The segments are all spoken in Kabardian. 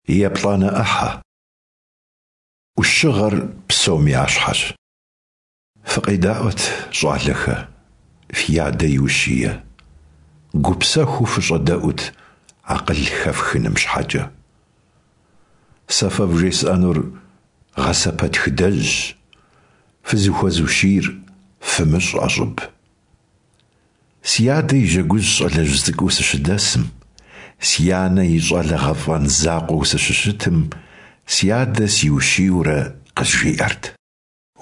Еплӏанэ ӏыхьэ. ӏущыгъэр псом ящхьэщ. Фыкъедаӏуэт, щӏалэхэ, фи адэ и ущие, гупсэхуу фыщӏэдэӏут акъыл хэфхыным щхьэкӏэ. Сэ фэ вжесӏэнур гъэсэпэтхыдэжьщ, фызыхуэзущийр фымыщӏ ӏэщӏыб. Си адэ и жьэгужь щӏалэжь цӏыкӏуу сыщыдэсым, си анэ и щӏалэ гъэфӏэн закъуэу сыщыщытым, си адэ сиущийурэ къызжиӏэрт.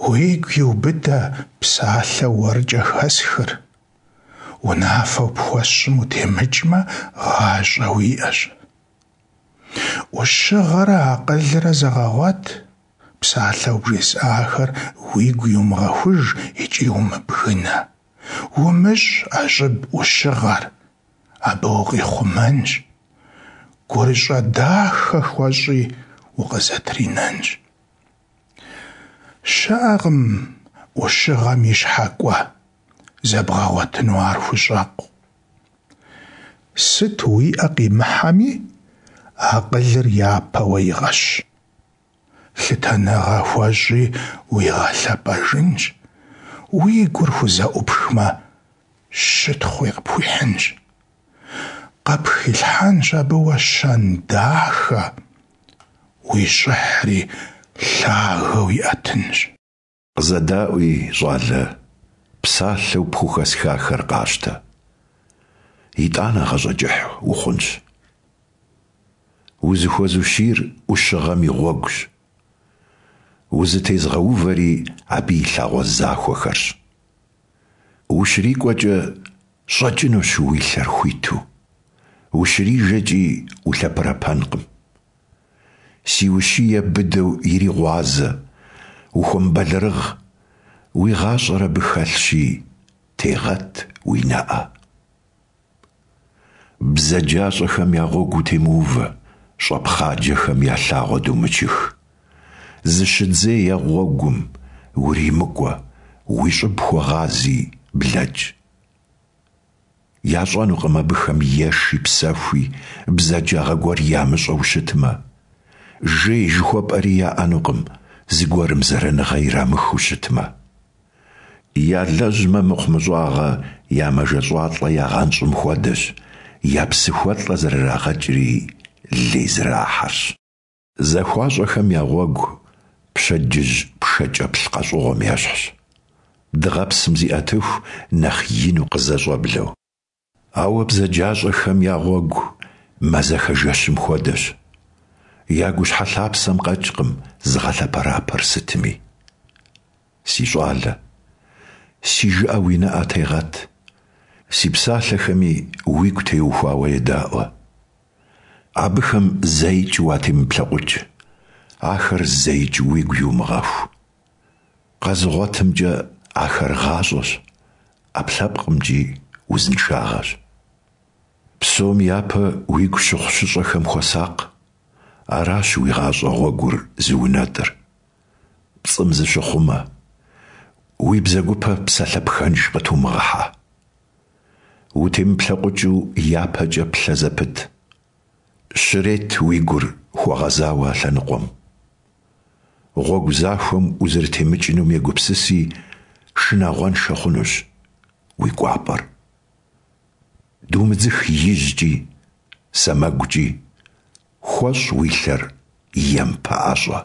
Уигу иубыдэ псалъэу уэркӏэ хэсхыр, унафэу пхуэсщӏым утемыкӏмэ, гъащӏэ уиӏэщ. Ӏущыгъэрэ акъылрэ зэгъэгъуэт, псалъэу бжесӏахэр уигу иумыгъэхуж икӏи умыбгынэ. Умыщӏ ӏэщӏыб ӏущыгъэр, абы укъихъумэнщ. Гурыщӏэ дахэ хуэщӏи, укъызэтринэнщ. Щыӏэкъым ӏущыгъэм и щхьэ кӏуэ, зэбгъэгъуэтыну ар хущӏэкъу. Сыт уи ӏэ къимыхьэми, акъылыр япэ уэ игъэщ. Лъытэныгъэ хуэщӏи уигъэлъэпӏэжынщ, уи гур хузэӏупхмэ, щытхъуи къыпхуихьынщ. Къыпхилъхьэнщ абы уэ щэн дахэ, уи щӏыхьри лъагэу иӏэтынщ. Къызэдаӏуи, щӏалэ, псалъэу пхухэсхахэр къащтэ. Итӏанэ гъащӏэ кӏыхь ухъунщ. Узыхуэзущийр ӏущыгъэм и гъуэгущ. Узытезгъэувэри абы и лъагъуэ захуэхэрщ. Ущрикӏуэкӏэ щӏэкӏынущ уи лъэр хуиту, ущрижэкӏи улъэпэрэпэнкъым. Си ущие быдэу иригъуазэ, ухуэмыбэлэрыгъ, уи гъащӏэр абы хэлъщи, тегъэт уи нэӏэ. Бзаджащӏэхэм я гъуэгу утемыувэ, щӏэпхъаджэхэм я лъагъуэ думычых. Зыщыдзей а гъуэгум, уримыкӏуэ, уи щӏыб хуэгъази, блэкӏ. Ящӏэнукъым абыхэм еши псэхуи, бзаджагъэ гуэр ямыщӏэу щытмэ. Жей жыхуэпӏэри яӏэнукъым, зыгуэрым зэраныгъэ ирамыхыу щытмэ. Ялэжьмэ мыхъумыщӏагъэ я мэжэщӏалӏэ ягъэнщӏым хуэдэщ, я псыхуэлӏэ зэрырагъэкӏри лей зэрахьэрщ. Захуащӏэхэм я гъуэгу пщэдджыжь пшэкӏэплъ къэщӏыгъуэм ещхьщ, дыгъэпсым зиӏэтыху нэхъ ину къызэщӏэблэу. Ауэ бзаджащӏэхэм я гъуэгу мазэхэ жэщым хуэдэщ. Я гущхьэ лъапсэм къэкӏкъым зыгъэлъэпэрапэр сытми. Си щӏалэ, си жыӏэ уи нэӏэ тегъэт, си псалъэхэми уигу теухуауэ едаӏуэ. Абыхэм зэикӏ уатемыплъэкъукӏ, ахэр зэикӏ уигу иумыгъэху. Къэзыгъуэтымкӏэ ахэр гъащӏэщ, ӏэпкълъэпкъымкӏи узыншагъэщ. Псом япэ уигу щыхъу-щыщӏэхэм хуэсакъ, аращ уи гъащӏэ гъуэгур зыунэтӏыр. Пцӏым зыщыхъумэ, уи бзэгупэ псалъэ пхэнж къытумыгъыхьэ. Утемыплъэкъукӏыу япэкӏэ плъэ зэпыт. Щрет уи гур хуэгъэзауэ а лъэныкъуэм. Гъуэгу захуэм узэрытемыкӏынум егупсыси, шынагъуэншэ хъунущ уи кӏуапӏэр. Думыдзых ижькӏи, сэмэгукӏи, хуэщӏ уи лъэр ем пэӏэщӏэ.